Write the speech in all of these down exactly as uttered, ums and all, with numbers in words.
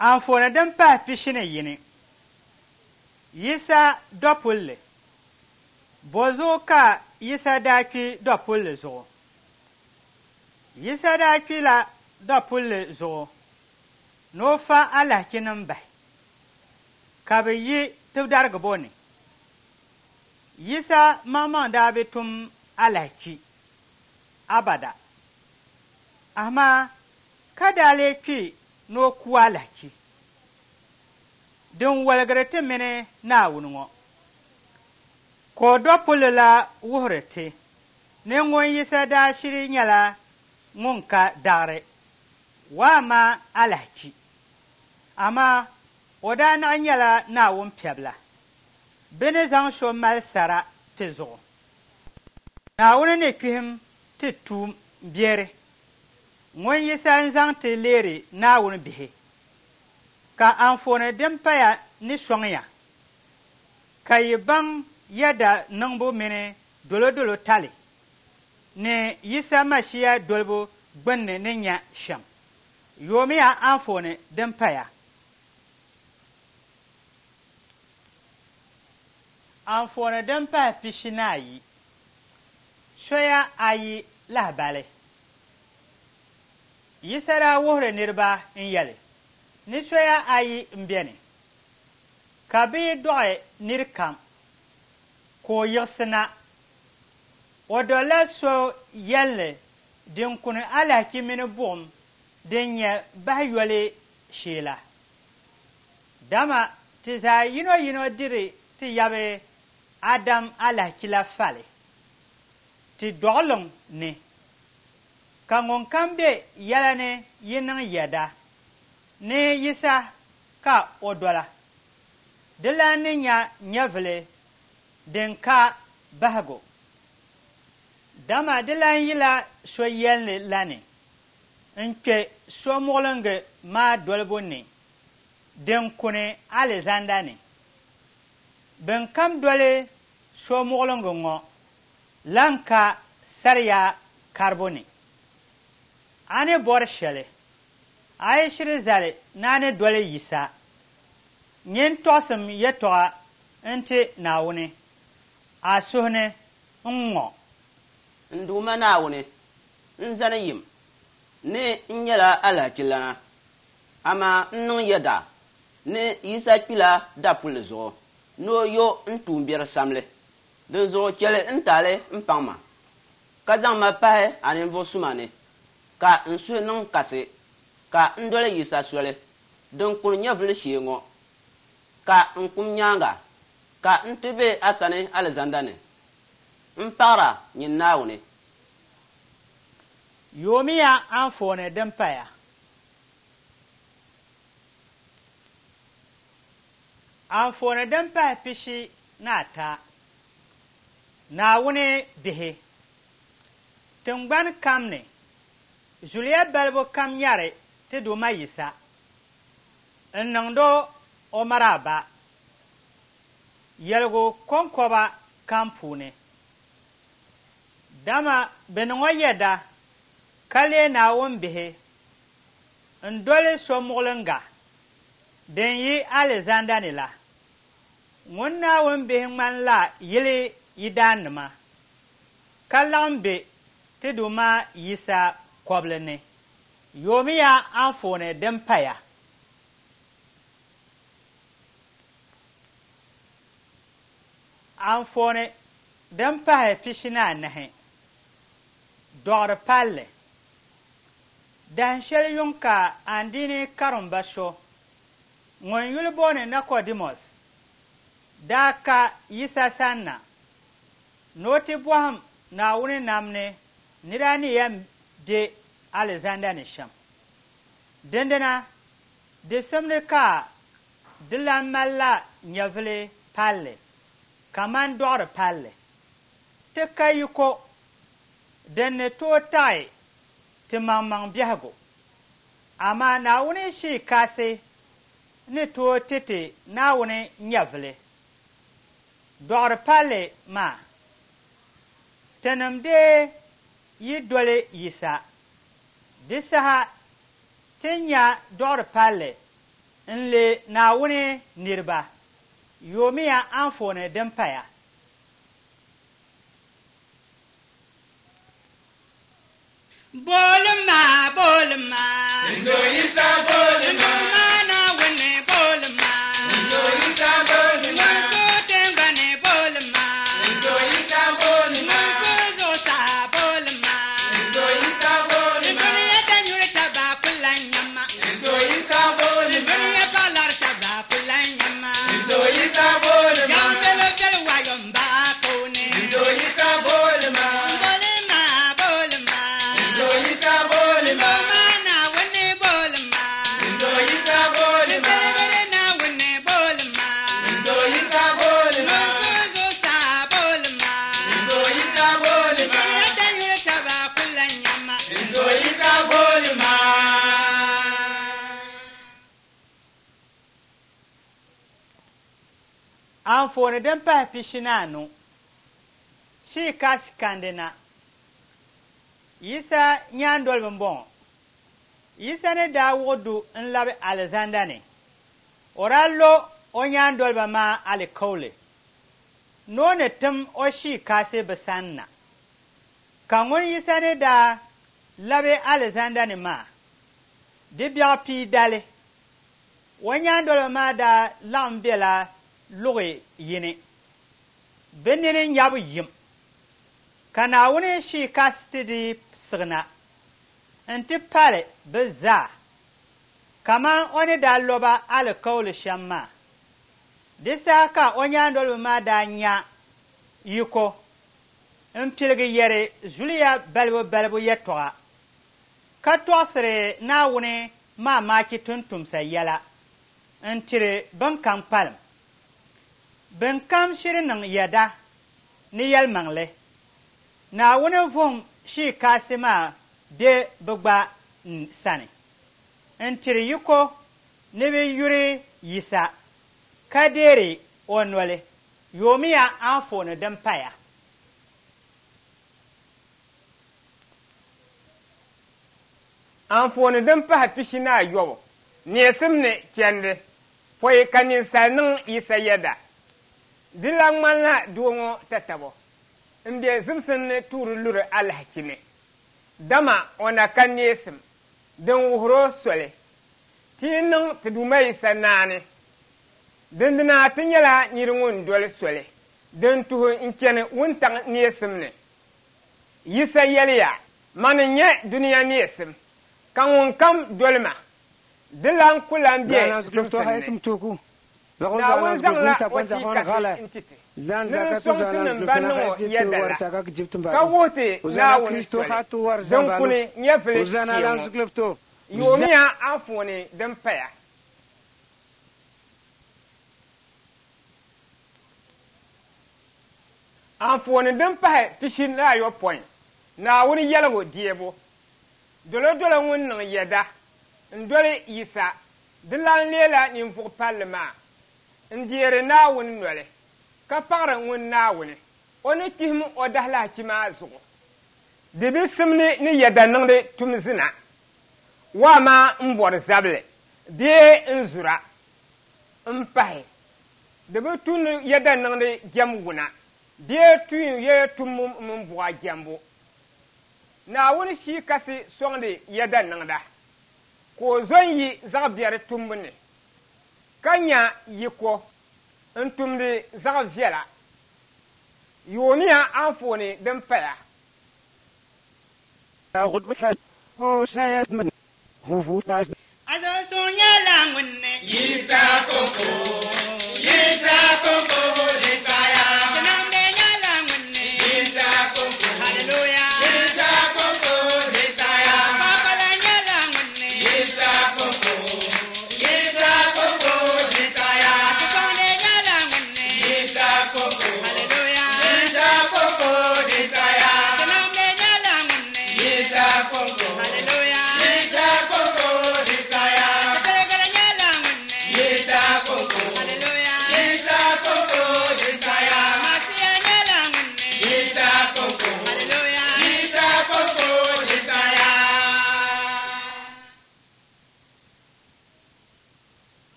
Anfooni din pahi pishi ni yini, Yisa dɔpulli. Bɔzuɣu ka Yisa daa kpi dɔpulli zuɣu? Yisa daa kpila dɔpulli zuɣu ni o fa alahichinim bahi, ka bɛ yi tibidarigibo ni. Yisa maŋmaŋ daa bi tum alahichi abada, amaa ka daa lee kpi ni o ku alahichi din woligiri ti mini Naawuni ŋɔ. Ka o dɔpulli la wuhiri ti ni ŋun Yisa daa shiri nyɛla ŋun ka daɣiri, waama alahichi, amaa o daa naɣ nyɛla Naawuni Piɛbila, bɛ ni zaŋ so mali sara ti zuɣu. Naawuni ni kpihim ti tuumbiɛri, ŋun Yisa n-zaŋ ti leeri Naawuni bihi. Ka anfooni din paya ni sɔŋ ya ka yi baŋ yɛda niŋbu mini dolodolo tali ni Yisa Masia dolibu gbinni ni nya shɛm. Yoomiya anfooni din paya. Anfooni din pahi pishi ni ayi, Soya ayi lahibali. Yisa daa wuhiri niriba n-yɛli ni soya ayi m-beni, ka bɛ yi dɔɣi nir kam ka o yiɣisi na, o dolila so yɛlli din kuni alahichi mini buɣim din nyɛ bahiyoli shee la. Dama ti zaa yinoyino diri ti yabi Adam alahichi la fali ti dɔɣiliŋ ni, ka ŋunkam be yɛla ni yi niŋ yɛda ni Yisa ka o dola, dilan ni nya nyɛvili din ka bahigu. Dama di lan yila so yɛlli la ni n-kpe so muɣiliŋgi maa dolibu ni din kuni alizanda ni. Bɛnkam doli so muɣiliŋgi ŋɔ lan ka sariya karibu ni. A ni bɔri shɛli, a yi shiri zali ni a ni doli Yisa, nyin tɔɣisim yɛtɔɣa nti Naawuni a suhu ni ŋ-ŋɔ. N Duuma Naawuni, n zani yim ni n nyɛla alahachilana, amaa n niŋ yɛda ni Yisa kpila dapulli zuɣu ni o yo n tuumbiɛri samli. Dinzuɣu chɛli n taali m-paŋ ma, ka zaŋ ma pahi a ninvuɣ suma ni, ka n suhu niŋ kasi ka n doli Yisa soli din kuni nyɛvili shee ŋɔ, ka n kum nyaaŋa ka n ti be a sani alizanda ni. M paɣir a, nyin Naawuni. Yoomiya anfooni din paya. Anfooni din pahi pishi ni ata, Naawuni bihi. Tiŋgbani kam ni, zuliya balibu kam nyari ti Duuma Yisa n-niŋd o maraaba yɛligu kɔŋkɔba kam puuni. Dama bɛ niŋ o yɛda ka leei Naawuni bihi n-doli so muɣiliŋga din yi alizanda ni la. Ŋun Naawuni bihi ŋmanila yili yidaannima, ka laɣim be ti Duuma Yisa kɔbili ni. Yoomiya anfooni din paya. Anfooni din pahi pishi ni anahi, Dɔɣiri palli. Dahin shɛli yuŋ ka andiini karimba so ŋun yuli booni Nicodemus daa ka Yisa sanna ni o ti bɔhim Naawuni nam ni nira ni yɛn be alizanda ni shɛm. Dindina, di simdi ka di lan malila nyɛvili palli kaman dɔɣiri palli. Ti ka yiko din ni tooi taɣi ti maŋmaŋ biɛhigu, amaa Naawuni Shii Kasi ni tooi ti ti Naawuni nyɛvili dɔɣiri palli maa. Tinim dee yi doli Yisa, di saha ti nya dɔɣiri palli n-leei Naawuni niriba. Yoomiya anfooni din paya. Bolima, bolima. Nzo Yisa bolima. Nduma Naawuni bolima. Nzo Yisa bolima. Nzo tingbani bolima. Nzo Yisa bolima. Nzo zuɣusaa bolima. Nzo Yisa bolima. Dunia danyuri taba ku lan nyama. Nzo Yisa bolima. Dunia paɣalari taba ku lan nyama. Nzo Yisa bolima. Yaŋ belo beli wayo m-baai puuni. Nzo Yisa bolima. Bolima, bolima. Nzo Yisa bolima. Nduma Naawuni bolima. Nzo Yisa bolima. Bilibili Naawuni bolima. Nzo Yisa bolima. Nzo zuɣusaa bolima. Nzo Yisa bolima. Dunia danyuri taba ku lan nyama. Nzo Yisa bolima. Anfooni din pahi pishi ni anu, Shii Kasi kandi na. Yisa nyaandoliba m-bɔŋɔ. Yisa ni daa wuɣi du n-labi alizanda ni, o daa lo o nyaandoliba maa alikauli ni o ni tim o Shii Kasi bɛ sani na. Ka ŋun Yisa ni daa labi alizanda ni maa, di biɛɣu pii dali, o nyaandoliba maa daa laɣim bela luɣi yini, bɛ nini nyabu yim, ka Naawuni Shii Kasi ti di siɣina nti pali bɛ zaa, kaman o ni daa lo ba alikauli shɛm maa. Di saha ka o nyaandoliba maa daa nya yiko m-piligi yɛri zuliya balibu balibu yɛtɔɣa, ka tɔɣisiri Naawuni maamaachi tumtumsa yɛla n-tiri bɛnkam kpalim. Bɛnkam shiri niŋ yɛda ni yɛlimaŋli, Naawuni vuhim Shii Kasi maa be bɛ gba sani n-tiri yiko ni bɛ yuri Yisa ka deeri o noli. Yoomiya anfooni din paya. Anfooni din pahi pishi ni ayɔbu, neesim ni chɛndi, pɔi ka ninsal niŋ Yisa yɛda. Di lan ŋmanila doo ŋɔ tatabo m-be zimsim ni tuuri luri alahichi ni, dama o na ka neesim din wuhiri o soli. Ti yi niŋ ti Duuma Yisa naani, dindina ti nyɛla nir ŋun doli soli din tuhi n-chani wuntaŋ neesim ni. Yisa yɛliya, Mani n-nyɛ dunia neesim, ka ŋunkam doli ma, di lan ku lan be zimsim ni. Naawuni zaŋla o Shii Kasi n-ti ti ni di sɔŋ tinim ban niŋ o yɛda la, ka wuhi ti Naawuni soli din kuni nyɛvili shee ŋɔ. Yoomiya anfooni din paya. Anfooni din pahi pishi ni ayopɔin, Naawuni yɛligu deebu. Dolodolo ŋun niŋ yɛda n-doli Yisa di lan leela ninvuɣ palli maa n-deeri Naawuni noli, ka paɣiri ŋun Naawuni o ni kpihim o dahilahichi maa zuɣu. Di bi simdi ni yɛda niŋdi tum zina, waa maa m-bɔri zabili bee n-zura m-pahi. Di bi tu ni yɛda niŋdi jɛm wuna bee tuun yɛya tumbu mini buɣa jɛmbu. Naawuni Shii Kasi sɔŋdi yɛda niŋda, ka o zo n-yi zaɣ biɛri tumbu ni, ka nya yiko n-tumdi zaɣ viɛla. Yoomiya anfooni din paya. Azo suŋ nyɛla ŋun ni. Yisa koko, Yisa koko di saya. Tinamdi nyɛla ŋun ni. Yisa koko, Hallelujah. Yisa koko di saya. Kpakpala nyɛla ŋun ni. Yisa koko, Yisa koko di saya. Atukɔndi nyɛla ŋun ni. Yisa koko, Hallelujah. Yisa koko di saya. Tinamdi nyɛla ŋun ni. Yisa koko, Hallelujah. Yisa koko di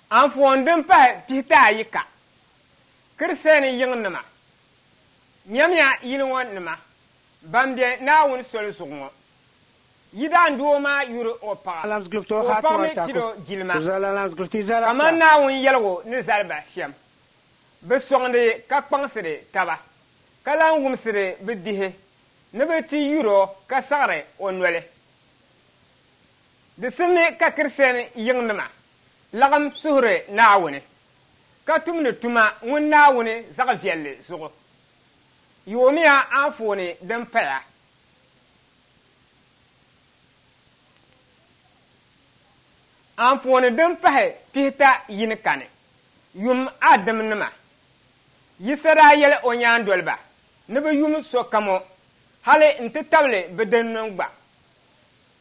Anfooni din pahi pihita ayi ka Kristiɛn yiŋnima nyamiya yili ŋɔ nima ban be Naawuni soli zuɣu ŋɔ. Yidaan doo maa yuri o paɣa ka o paɣa mi tiri o jilima kamani Naawuni yɛligu ni zali ba shɛm. Bɛ sɔŋdi ka kpaŋsiri taba ka lan wumsiri bɛ bihi ni bɛ ti yuri o ka saɣiri o noli. Di simdi ka Kristiɛn yiŋnima lagim suhuri Naawuni ka tumdi tuma ŋun Naawuni zaɣ viɛlli zuɣu. Yoomiya anfooni din paya. Anfooni din pahi pihita yini kani yum a dimnima. Yisa daa yɛli o nyaandoliba ni bɛ yum sokam o hali n-ti tabili bɛ dimnim gba.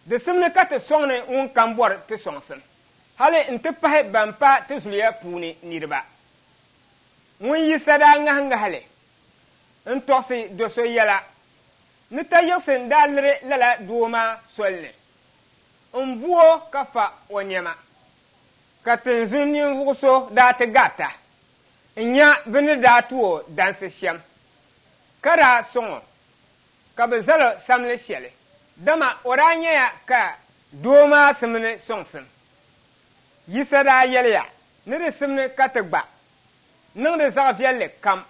Di simdi ka ti sɔŋni ŋun kam bɔri ti sɔŋsim hali n-ti pahi ban pa ti zuliya puuni niriba. Ŋun Yisa daa ŋahi ŋahili n-tɔɣisi do so yɛla ni ta yiɣisi n-daa liri lala doo maa soli ni n-bu o ka fa o nɛma ka tinzun ninvuɣ so daa ti garita n-nya bɛ ni daa ti o dansi shɛm ka daa sɔŋ o ka bɛ zal o samli shɛli dama o daa nyɛya ka doo maa simni sɔŋsim. Yisa daa yɛliya ni di simni ka ti gba niŋdi zaɣ viɛlli kam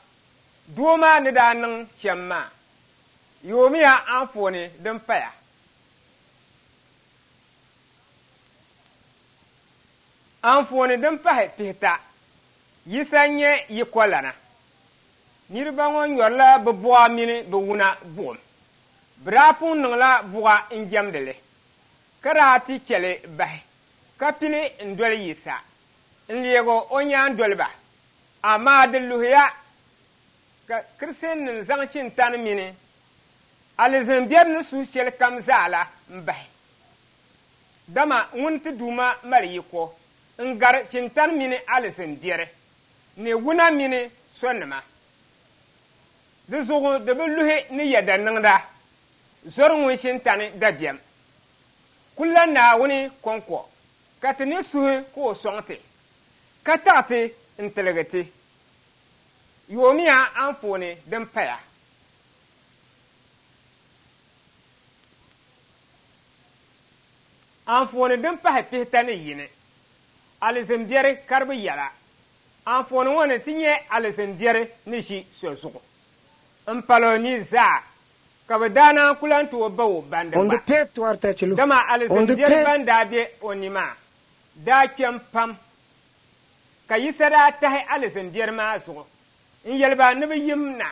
doo maa ni daa niŋ shɛm maa. Yoomiya anfooni din paya. Anfooni din pahi pihita Yisa n-nyɛ yikolana. Niriba ŋɔ nyɔrila bɛ buɣa mini bɛ wuna buɣim. Bɛ daa pun niŋla buɣa n-jɛmdi li ka daa ti chɛ li bahi ka pili n-doli Yisa n-leegi o nyaandoliba. Amaa di luhiya ka Kristiɛnnim zaŋ shintani mini alizin biɛri ni suhu shɛli kam zaa la m-bahi. Dama ŋun ti Duuma mali yiko n-gari shintani mini alizin biɛri ni wuna mini sonima. Di zuɣu di bi luhi ni yɛda niŋda zɔri ŋun shintani dabiɛm. Kulla Naawuni kɔŋko ka ti ni suhi ka o sɔŋ ti ka taɣi ti n-tiligi ti. Yoomiya anfooni din paya. Anfooni din pahi pihita ni yini alizin biɛri karibu yɛla. Anfooni ŋɔ ni ti nyɛ alizin biɛri ni ʒi so zuɣu m-pali o ni zaa ka bɛ daa naan ku lan tooi ba o bandi On gba. de pet warta chilu. Dama On alizin de biɛri pet. ban daa be o ni maa daa kpɛm pam ka Yisa daa tahi alizin biɛri maa zuɣu n-yɛli ba ni bɛ yim na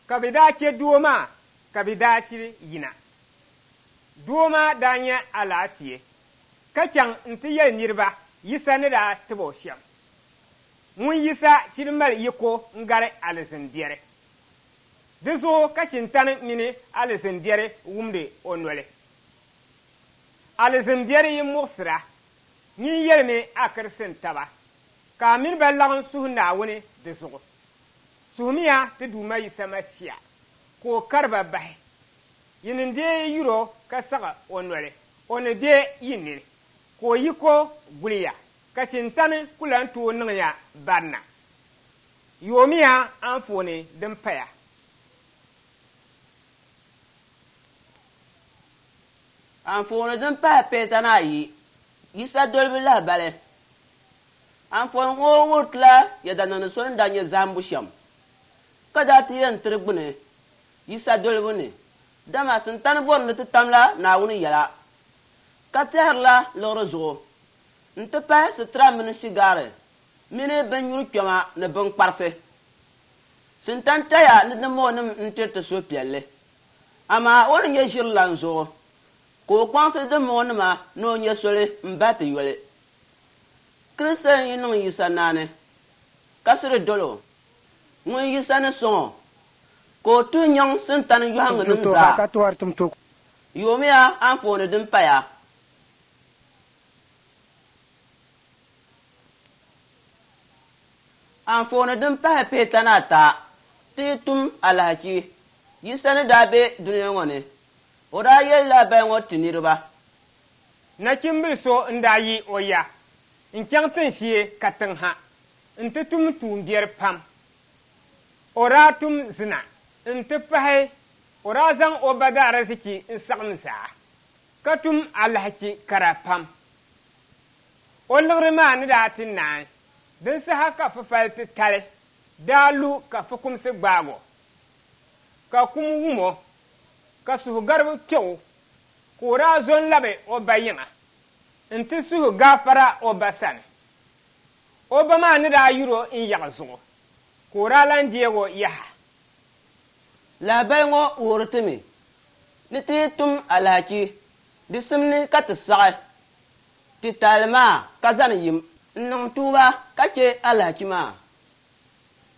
ka bɛ daa chɛ doo maa ka bɛ daa shiri yina. Doo maa daa nyɛ alaafee ka chaŋ nti yɛli niriba Yisa ni daa tibi o shɛm. Ŋun Yisa shiri mali yiko n-gari alizin biɛri. Di zuɣu ka shintani mini alizin biɛri wumdi o noli. Alizin biɛri yi muɣisira nyin yɛlimi a Kristiɛn taba ka a mini ba lagim suhi Naawuni di zuɣu. Suhimiya ti Duuma Yisa Masia ka o kari ba bahi. Yi ni deei yuri o ka saɣi o noli o ni be yi nini ka o yiko guliya ka shintani ku lan tooi niŋya barina. Yoomiya anfooni din paya. Anfooni din pahi pihita ni ayi Yisa dolibu lahibali. Anfooni ŋɔ wuritila yɛda niŋdi so ni daa nyɛ zahimbu shɛm ka daa ti yɛn tiri gbuni Yisa dolibu ni dama sintani bɔri ni ti tamla Naawuni yɛla ka tɛhirila liɣiri zuɣu n-ti pahi sitira mini shigaari mini binnyuri kpɛma ni binkparisi. Sintani tɛya ni dimbɔŋɔnim n-tiri ti suhupiɛlli amaa o ni nyɛ ʒirilan zuɣu ka o kpaŋsi dimbɔŋɔnima ni o nyɛ soli m-bahi ti yoli. Kristiɛn yi niŋ Yisa naani ka siri doli o ŋun Yisa ni sɔŋ o ka o tuhi nyaŋ sintani yɔhiŋgunim To zaa. ka to wartum to. Yoomiya anfooni din paya. Anfooni din pahi pihita ni ata ti yi tum alahichi Yisa ni daa be dunia ŋɔ ni o daa yɛli lahabali ŋɔ ti niriba. Nachimbili so n-daa yi o ya N-chaŋ tinshee katiŋ ha nti tum tuumbiɛri pam. O daa tum zina nti pahi o daa zaŋ o ba daarzichi n-saɣim zaa, ka tum alahichi kara pam. O liɣiri maa ni daa ti naai, din saha ka fufali titali daa lu ka fukumsi gbaag o, ka kum wum o, ka suhugaribu kpe o, ka o daa zo n-labi o ba yiŋa nti suhi gaafara o ba sani. O ba maa ni daa yur o n-yaɣi zuɣu, ka o daa lan deeg o yaha. Lahabali ŋɔ wuhiri ti mi ni ti yi tum alahichi, di simdi ka ti saɣi ti taali maa ka zani yim n-niŋ tuuba ka che alahichi maa.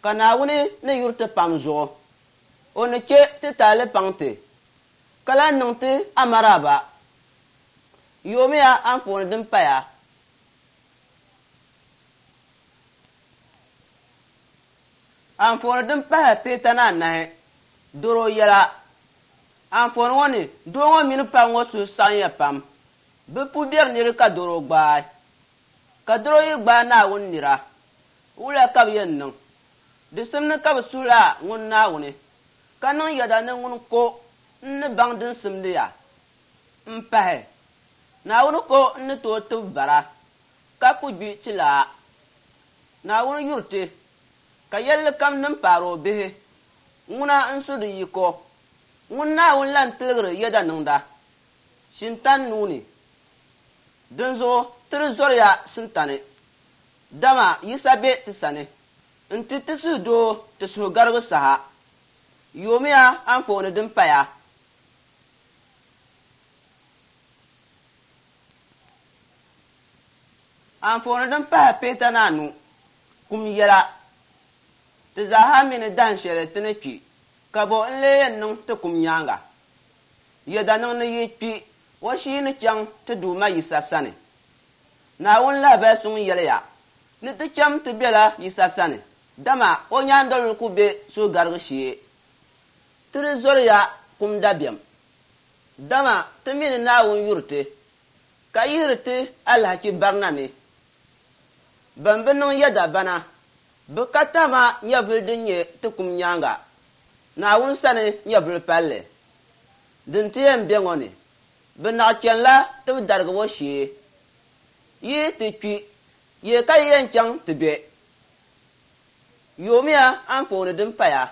Ka Naawuni ni yuri ti pam zuɣu, o ni che ti taali paŋ ti, ka lan niŋ ti amaraaba. Yoomiya anfooni din paya. Anfooni din pahi pihita ni anahi, doro yɛla. Anfooni ŋɔ ni, doo ŋɔ mini paɣa ŋɔ suhu saɣimya pam. Bɛ pu biɛri nira ka doro gbaai. Ka doro yi gbaai Naawuni nira, wula ka bɛ yɛn niŋ? Di simdi ka bɛ suhila ŋun Naawuni, ka niŋ yɛda ni ŋuni ko n-ni baŋ din simdi ya. M-pahi, Naawuni ko n-ni tooi tibi bara, ka ku gbi tilaa. Naawuni yuri ti, ka yɛlli kam din paari o bihi, ŋuna n-su di yiko. Ŋun Naawuni lan tiligiri yɛda niŋda, Shintan nuu ni. Dinzuɣu ti di zɔriya Sintani, dama Yisa be ti sani nti ti suhudoo ti suhugarigu saha. Yoomiya anfooni din paya. Anfooni din pahi pihita ni anu, kum yɛla. Ti zaaha mi ni dahin shɛli ti ni kpi, ka bɔ n-lee yɛn niŋ ti kum nyaaŋa? Yɛda niŋ ni yi kpi, o shii ni chaŋ ti Duuma Yisa sani. Naawuni lahabali suŋ yɛliya ni ti cham ti bela Yisa sani, dama o nyaandoliba ku be suhugarigu shee. Ti di zɔriya kum dabiɛm, dama ti mi ni Naawuni yuri ti, ka yihiri ti alahichi barina ni. Ban bi niŋ yɛda bana, bɛ ka tahima nyɛvili din nyɛ ti kum nyaaŋa, Naawuni sani nyɛvili palli. Din ti yɛn be ŋɔ ni, bɛ naɣ chanila tibidarigibo shee. Yi ti kpi, ye ka yi yɛn chaŋ ti be? Yoomiya anfooni din paya.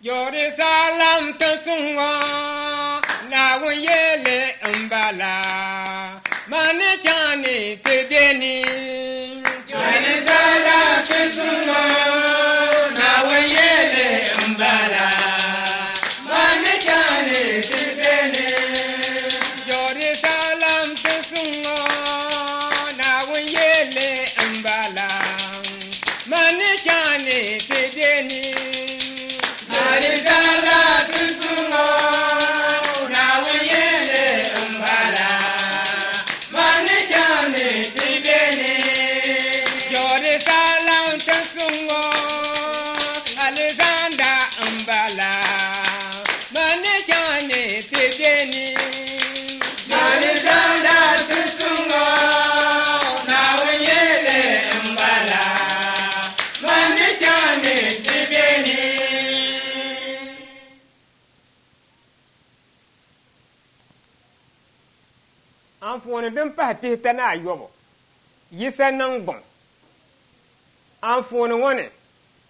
Jerusalem tinsuŋ ŋɔ, Naawuni yɛli m-bala, mani chaŋ ni ti be ni. Jerusalem tinsuŋ ŋɔ, Naawuni yɛli m-bala, mani chaŋ ni ti be ni. Jerusalem tinsuŋ ŋɔ, Naawuni yɛli m-bala, mani chaŋ ni ti be ni. Jerusalem tinsuŋ ŋɔ, Naawuni yɛli m-bala, mani chaŋ ni ti be ni. Jerusalem tinsuŋ ŋɔ, Alizanda m-bala, mani chaŋ ni ti be ni. Alizanda tinsuŋ ŋɔ, Naawuni yɛli m-bala, mani chaŋ ni ti be ni. Anfooni din pahi pihita ni ayɔbu, Yisa niŋgbuŋ. Anfooni ŋɔ ni,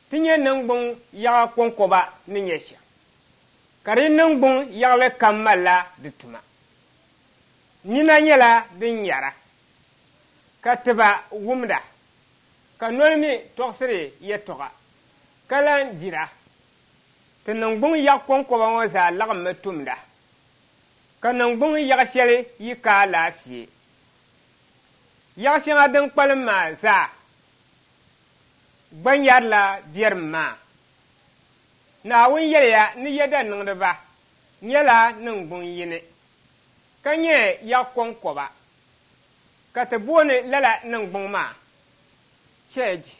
ti nyɛ niŋgbuŋ yaɣa kɔŋkɔba ni nyɛ shɛm, ka di niŋgbuŋ yaɣili kam malila di tuma. Nina nyɛla din nyara, ka tiba wumda, ka noli mi tɔɣisiri yɛtɔɣa, ka lan dira. Ti niŋgbuŋ yaɣ kɔŋkɔba ŋɔ zaa laɣimmi tumda, ka niŋgbuŋ yaɣ shɛli yi ka alaafee. Yaɣ shɛŋa din kpalim maa zaa gba nyarila biɛrim maa. Naawuni yɛliya ni yɛda niŋdiba nyɛla niŋgbuŋ yini, ka nyɛ yaɣ kɔŋkɔba, ka ti booni lala niŋgbuŋ maa cheeji,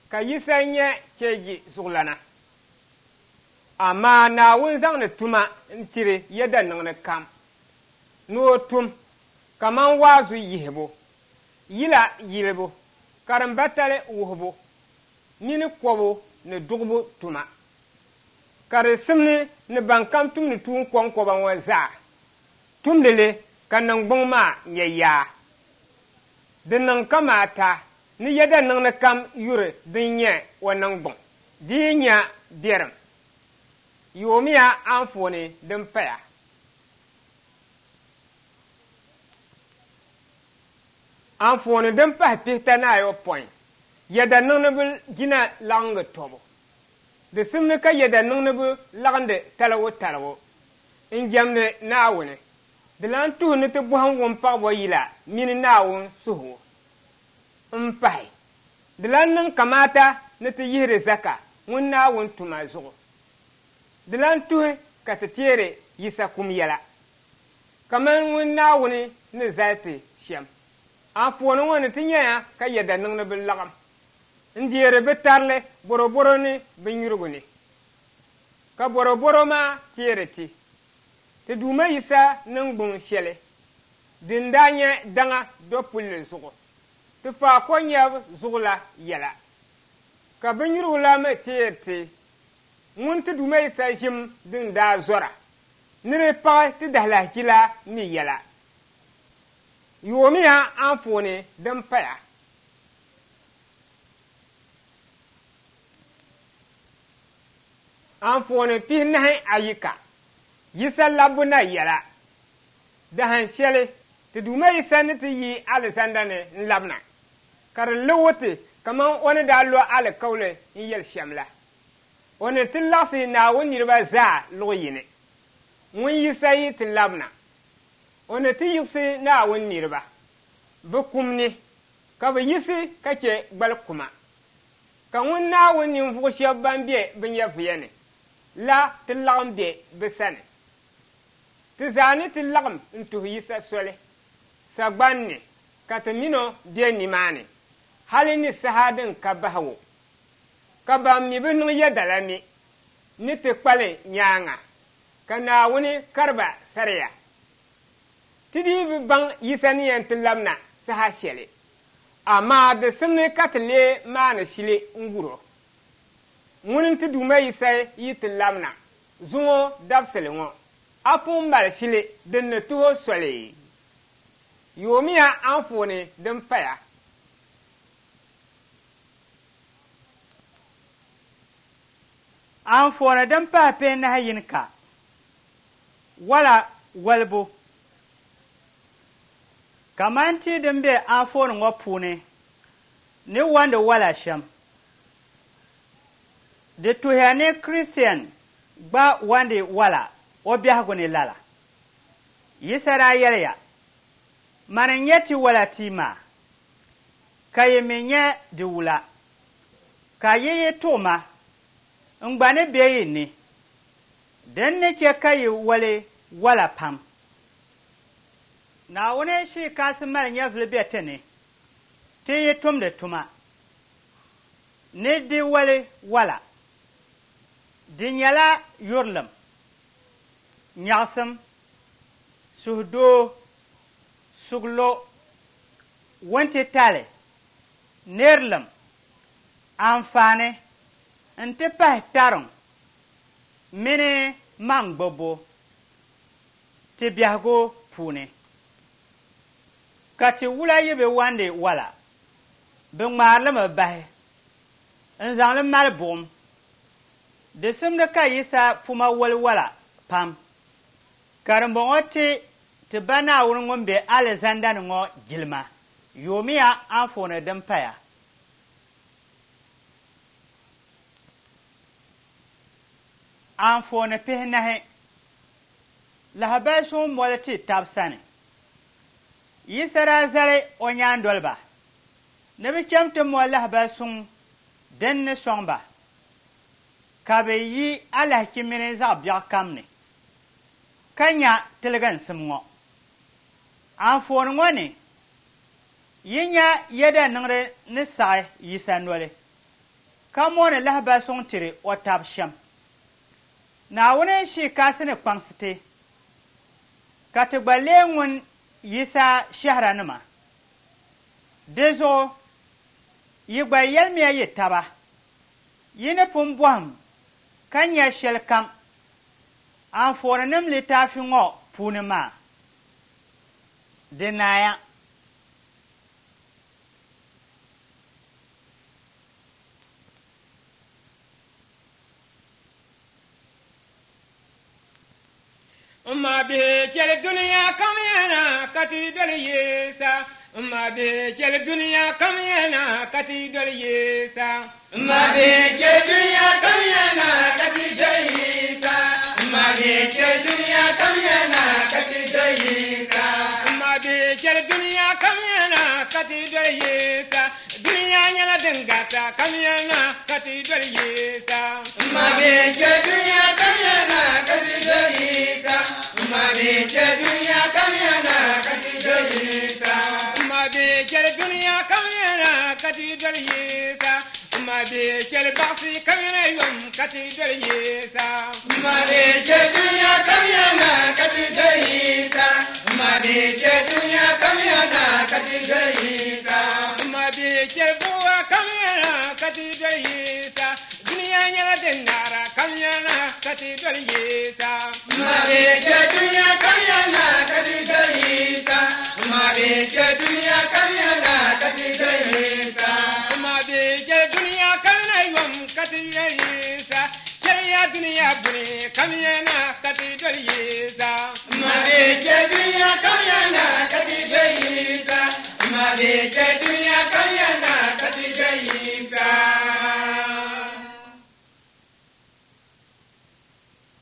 ka Yisa nyɛ cheeji zuɣulana. Amaa Naawuni zaŋdi tuma n-tiri yɛda niŋdi kam ni o tum kaman waazu yihibu, yila yilibu, karimbatali wuhibu mini kɔbu ni duɣibu tuma. Ka di simdi ni bankam tumdi tuun kɔŋkɔba ŋɔ zaa tumdi li ka niŋgbuŋ maa nya yaa. Di niŋ kamaata ni yɛda niŋdi kam yuri din nyɛ o niŋgbuŋ, di yi nya biɛrim. Yoomiya anfooni din paya. Anfooni din pahi pihita ni ayopɔin, yɛda niŋdiba jina laɣingu tɔbu. Di simdi ka yɛda niŋdiba laɣindi taligu taligu n-jɛmdi Naawuni. Di lan tuhi ni ti bɔhim wumpaɣibo yila mini Naawuni suhigu m-pahi. Di lan niŋ kamaata ni ti yihiri zaka ŋun Naawuni tuma zuɣu. Di lan tuhi ka ti teeri Yisa kum yɛla, kaman ŋun Naawuni ni zali ti shɛm. Anfooni ŋɔ ni ti nyɛya ka yɛda niŋdiba laɣim n-deeri bɛ tarili bɔrɔbɔro ni binnyurigu ni. Ka bɔrɔbɔro maa teeri ti ti Duuma Yisa niŋgbuŋ shɛli din daa nyɛ daŋa dɔpulli zuɣu ti faako nyɛbu zuɣu la yɛla. Ka binnyurigu la mi teeri ti ŋun ti Duuma Yisa ʒim din daa zɔra ni di paɣi ti dahilahichi la mi yɛla. Yoomiya anfooni din paya. Anfooni pihinahi ayika, Yisa labbu na yɛla. Dahin shɛli ti Duuma Yisa ni ti yi alizanda ni n-labina, ka di liɣi ti kaman o ni daa lo alikauli n-yɛli shɛm la. O ni ti laɣisi Naawuni niriba zaa luɣ yini. Ŋun Yisa yi ti labina, o ni ti yiɣisi Naawuni niriba bɛ kum ni, ka bɛ yiɣisi ka chɛ gbali kuma. Ka ŋun Naawuni ninvuɣ shɛba ban be bɛ nyɛvuya ni la ti laɣim be bɛ sani. Ti zaa ni ti laɣim n-tuhi Yisa soli sagban ni, ka ti mini o be nimaani hali ni saha din ka bahigu. Ka ban mi bi niŋ yɛda la mi ni ti kpali nyaaŋa, ka Naawuni kari ba sariya. Ti dii bi baŋ Yisa ni yɛn ti labina saha shɛli, amaa di simdi ka ti lee maani shili n-gur o. Ŋuni n-ti Duuma Yisa yi ti labina zuŋɔ dabisili ŋɔ, a pun mali shili din ni tuhi o soli. Yoomiya anfooni din paya. Anfooni din pahi pihinahi yini ka wala walibu. Kaman tia din be anfooni ŋɔ puuni ni wandi wala shɛm. Di tuhiya ni Kristiɛn gba wandi wala o biɛhigu ni lala. Yisa daa yɛliya, Mani n-nyɛ ti wala tia maa, ka yi mi nyɛ di wula. Ka yi yi tuɣi ma, n gba ni be yi ni, din ni chɛ ka yi wali wala pam. Naawuni shii kasi mali nyɛvili be ti ni, ti yi tumdi tuma ni di wali wala. Di nyɛla yurilim, nyaɣisim, suhudoo, suglo, wuntitali, nirilim, anfaani nti pahi tariŋ mini maŋgbubbu ti biɛhigu puuni. Ka ti wula yi bi wandi wala, bɛ ŋmaari li mi bahi n-zaŋ li mali buɣim. Di simdi ka Yisa puma wali wala pam, ka dimbɔŋɔ ti ti ba Naawuni ŋun be alizanda ni ŋɔ jilima. Yoomiya anfooni din paya. Anfooni pihinahi, lahabali suŋ moli ti tab sani. Yisa daa zali o nyaandoliba ni bɛ cham ti moli lahabali suŋ din ni sɔŋ ba, ka bɛ yi alahichi mini zaɣ biɛɣu kam ni, ka nya tiliginsim ŋɔ. Anfooni ŋɔ ni, yi nya yɛda niŋdi ni saɣi Yisa noli, ka mooni lahabali suŋ tiri o tab shɛm. Naawuni shii kasi ni kpaŋsi ti, Ka ti gba lee ŋun Yisa shɛhiranima. Di zuɣu yi gba yɛlimiya yi taba, yi ni pun bɔhim ka nya shɛlikam anfooninim litaafi ŋɔ puuni maa. Di naaya. Ma bihi chɛli dunia kam yana ka ti doli Yisa. Ma bihi chɛli dunia kam yana ka ti doli Yisa. Ma bihi chɛli dunia kam yana ka ti doli Yisa. Ma bihi chɛli dunia kam yana ka ti doli Yisa. Ma bihi chɛli dunia kam yana ka ti doli Yisa. Dunia nyɛla din gata kam yana ka ti doli Yisa. Ma bihi chɛli dunia kam yana ka ti doli Yisa. Ma bihi chɛli dunia kam yana ka ti doli Yisa. Ma bihi chɛli dunia kam yana ka ti doli Yisa. Ma bihi chɛli baɣisi kam yana yom ka ti doli Yisa. Ma bihi chɛli dunia kam yana ka ti doli Yisa. Ma bihi chɛli dunia kam yana ka ti doli Yisa. Ma bihi chɛli buɣa kam yana ka ti doli Yisa. Dunia nyɛla din naara kam yana ka ti doli Yisa. Ma bihi chɛli dunia kam yana ka ti doli Yisa. Ma bihi chɛli dunia kam yana ka ti doli Yisa. Ma bihi chɛli dunia kam yana yom ka ti doli Yisa. Chɛliya dunia buni kam yana ka ti doli Yisa. Ma bihi chɛli dunia kam yana ka ti doli Yisa. Ma bihi chɛli